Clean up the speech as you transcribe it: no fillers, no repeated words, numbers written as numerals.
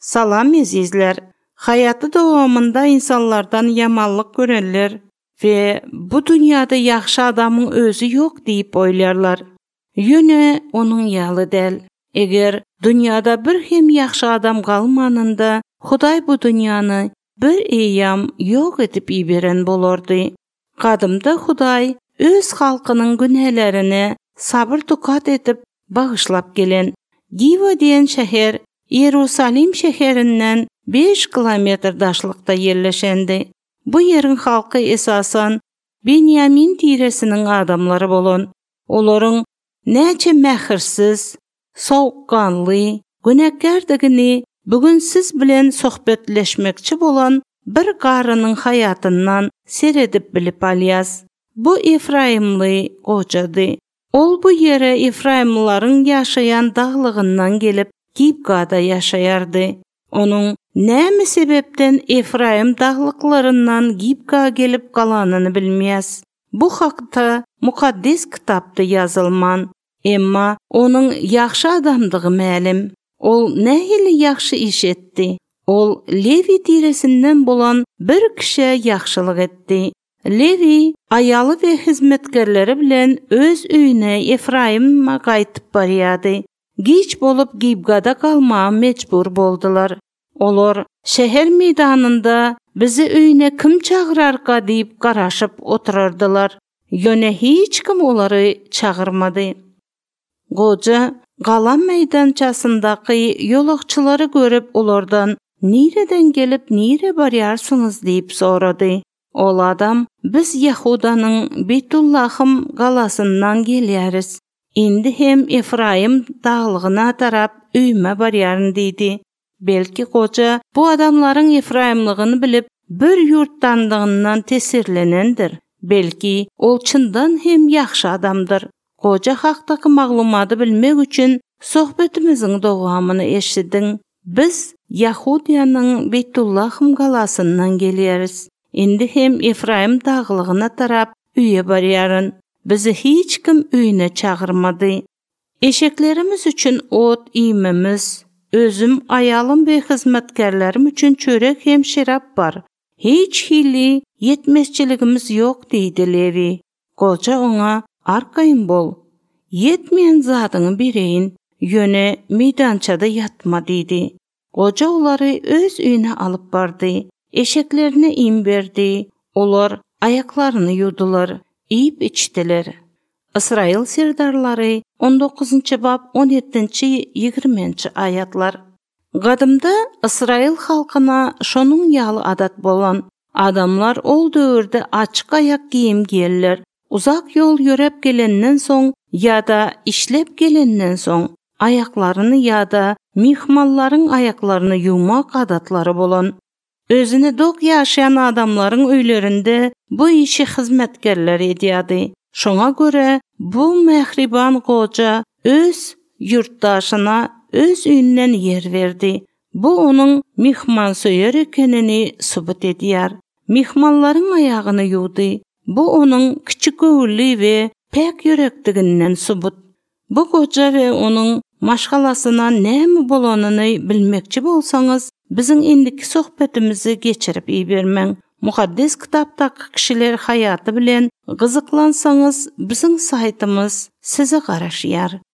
Salam azizler. Hayatı davamında insanlardan yamanlık görenler ve bu dünyada yaxşı adamın özü yok deyip oylarlar. Yöne onun yalı del. Eğer dünyada bir hem yaxşı adam kalmanında Huday bu dünyanı bir eyyam yok edip iberen bolordu. Qadımda Huday öz halkının günahlarını sabır tukat edip bağışlap gelen Giva diyen şehir Yerusalim şehrinden 5 kilometr daşlıkta yerleşendi. Bu yerin halkı esasan Benyamin tiresinin adamları bolon. Olorun näçe mähirsiz, soğukkanlı, günahkardigini bugün siz bilen sohbetleşmekçi bolan bir qarının hayatından seredip bilip alyaz. Bu Efraimli qocadı. Ol bu yere Efraimliların yaşayan dağlığından gelip Gibgada yaşayardı. Onun näme sebepten Efraim dağlıklarından Gibga gelip kalanını bilmeyez. Bu hakta mukaddes kitapta yazılman. Emma onun yaxşı adamdığı ma'lum. Ol nähili yaxşı iş etdi. Ol Levi tiresinden bolan bir kişi yaxşılık etdi. Levi ayalı ve hizmetkarları bilen öz üyüne Efraim'a qaytıp baryadı. Giç bolup Gibgada kalmağa mecbur boldular. Olor şehir meydanında bizi üyüne kim çağırarka deyip qaraşıp oturardılar. Yöne hiç kim onları çağırmadı. Qoca qala meydançasındaki yolakçıları görüp onlardan "Nereden gelip nere baryarsınız?" deyip soradı. Ol adam, "Biz Yahuda'nın Beytullahım qalasından geliyoruz. Indi hem Efraim dağlığına tarap üyme baryarın" dedi. Belki qoca bu adamların Efraimlığını bilip bir yurtlandığından tesirlenendir. Belki ol çından hem yaxşı adamdır. Qoca haqdaki maglumatı bilmek üçün sohbetimizin davamını eşitdin. Biz Yahudiyanın Beytullahım qalasından geliyoruz. Indi hem Efraim dağlığına tarap üye baryarın. Bizi hiç kim üyüne çağırmadı. Eşeklerimiz üçün ot iymemiz, özüm, ayalım ve hizmetkarlarım üçün çörek hem şirap var. Hiç hili yetmezçiligimiz yok deydi Levi. Qoca ona "Arkayın bol. Yetmeyen zadını bireyin, yöne meydançada yatma" dedi. Qoca onları öz üyüne alıp bardı. Eşeklerine im verdi. Olar ayaklarını yudular, yiyip içtiler. İsrail serdarları 19. bab 17-20 ayatlar. Qadımda İsrail halkına şonun yalı adat bolan adamlar ol dövrde açık ayak giyim giyerler. Uzak yol yörep gelenden soň ya da işlep gelenden soň ayaklarını ya da mihmalların ayaklarını yumak adatları bolan. Özüne dok yaşayan adamların öylerinde bu işi hizmetkarlar ediyordu. Şoňa göre bu mehriban qoca öz yurtdaşına öz üyünden yer verdi. Bu onun mihman söyür ekenini subut ediyar. Mihmanların ayağını yudu. Bu onun küçük göğüllü ve pek yürektiginden subut. Bu qoca ve onun maşgalasına näme bolanını bilmekçi bolsaňyz, bizim indiki sohbetimizi geçirip ibermeň. Mukaddes kitapdaki kişiler hayatı bilen gyzyklansaňyz, bizim saytymyz sizi garaşýar.